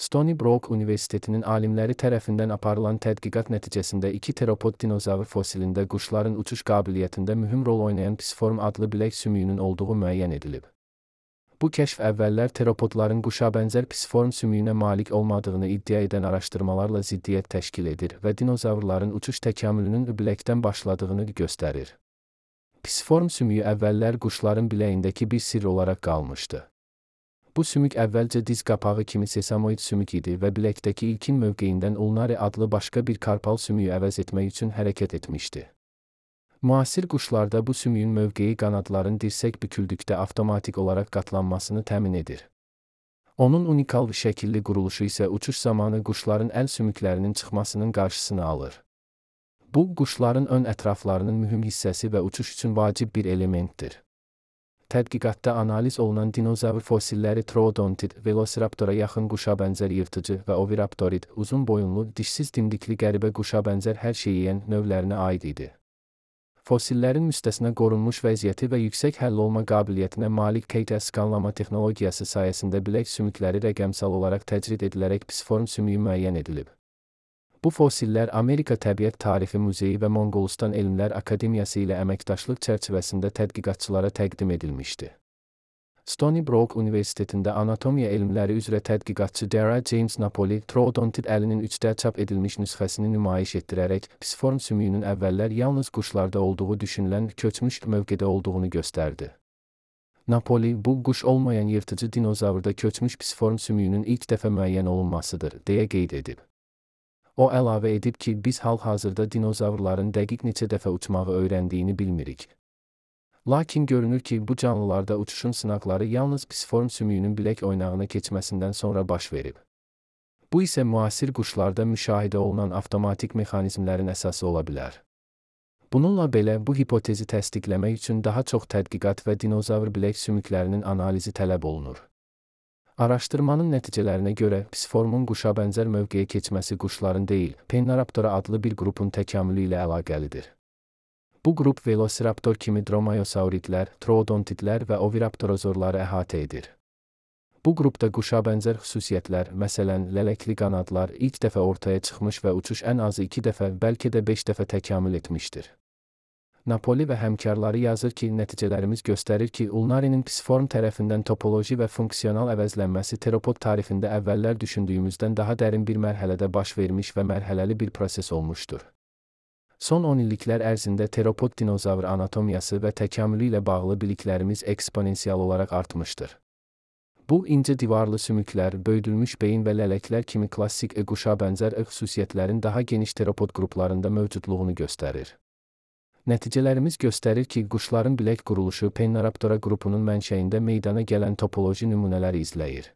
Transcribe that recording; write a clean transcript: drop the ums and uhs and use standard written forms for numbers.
Stony Brook Universitetinin alimləri tərəfindən aparılan tədqiqat nəticəsində 2 teropod dinozavr fosilində quşların uçuş qabiliyyətində mühüm rol oynayan pisiform adlı bilək sümüyünün olduğu müəyyən edilib. Bu kəşf əvvəllər teropodların quşabənzər pisiform sümüyünə malik olmadığını iddia edən araşdırmalarla ziddiyyət təşkil edir və dinozavrların uçuş təkamülünün biləkdən başladığını göstərir. Pisiform sümüyü əvvəllər quşların biləyindəki bir sirr olaraq qalmışdı. Bu sümük əvvəlcə diz qapağı kimi sesamoid sümük idi və biləkdəki ilkin mövqeyindən ulnari adlı başqa bir karpal sümüyü əvəz etmək üçün hərəkət etmişdi. Müasir quşlarda bu sümüyün mövqeyi qanadların dirsək büküldükdə avtomatik olaraq qatlanmasını təmin edir. Onun unikal bir şəkilli quruluşu isə uçuş zamanı quşların əl sümüklərinin çıxmasının qarşısını alır. Bu, quşların ön ətraflarının mühüm hissəsi və uçuş üçün vacib bir elementdir. Tədqiqatda analiz olunan dinozavr fosilləri Troodontid, Velociraptora yaxın quşabənzər yırtıcı və Oviraptorid, uzun boyunlu, dişsiz dimdikli qəribə quşabənzər hər şeyi yeyən növlərinə aid idi. Fosillerin müstəsna qorunmuş vəziyyəti və yüksək həll olma qabiliyyətinə malik KT skanlama texnologiyası sayəsində bilək sümükləri rəqəmsal olaraq təcrid edilərək pisiform sümüyü müəyyən edilib. Bu fosillər Amerika Təbiət Tarixi Muzeyi və Monqolistan Elmlər Akademiyası ilə əməkdaşlıq çərçivəsində tədqiqatçılara təqdim edilmişdi. Stony Brook Universitetində anatomiya elmləri üzrə tədqiqatçı Dara James Napoli, Troodontid əlinin 3D çap edilmiş nüsxəsini nümayiş etdirərək, pisiform sümüyünün əvvəllər yalnız quşlarda olduğu düşünülən köçmüş mövqedə olduğunu göstərdi. Napoli, bu quş olmayan yırtıcı dinozavrda köçmüş pisiform sümüyünün ilk dəfə müəyyən olunmasıdır, deyə qeyd edib. O əlavə edib ki, biz hal-hazırda dinozavrların dəqiq neçə dəfə uçmağı öyrəndiyini bilmirik. Lakin görünür ki, bu canlılarda uçuşun sınaqları yalnız pisiform sümüyünün bilək oynağına keçməsindən sonra baş verib. Bu isə müasir quşlarda müşahidə olunan avtomatik mexanizmlərin əsası ola bilər. Bununla belə, bu hipotezi təsdiqləmək üçün daha çox tədqiqat və dinozavr bilək sümüklərinin analizi tələb olunur. Araşdırmanın nəticələrinə görə, pisiformun quşabənzər mövqeyə keçməsi quşların deyil, Penaraptora adlı bir qrupun təkamülü ilə əlaqəlidir. Bu qrup Velociraptor kimi dromaeosauridlər, troodontidlər və oviraptorozorları əhatə edir. Bu qrupda quşabənzər xüsusiyyətlər, məsələn, lələkli qanadlar ilk dəfə ortaya çıxmış və uçuş ən azı 2 dəfə, bəlkə də 5 dəfə təkamül etmişdir. Napoli və həmkarları yazır ki, nəticələrimiz göstərir ki, ulnarinin pisiform tərəfindən topoloji və funksional əvəzlənməsi teropod tarixində əvvəllər düşündüyümüzdən daha dərin bir mərhələdə baş vermiş və mərhələli bir proses olmuşdur. Son 10 illiklər ərzində teropod dinozavr anatomiyası və təkamülü ilə bağlı biliklərimiz eksponensial olaraq artmışdır. Bu, incə divarlı sümüklər, böyüdülmüş beyin və lələklər kimi klassik quşabənzər xüsusiyyətlərin daha geniş teropod qruplarında mövcudluğunu göstərir. Nəticələrimiz göstərir ki, quşların bilək quruluşu Penaraptora qrupunun mənşəyində meydana gələn topoloji nümunələri izləyir.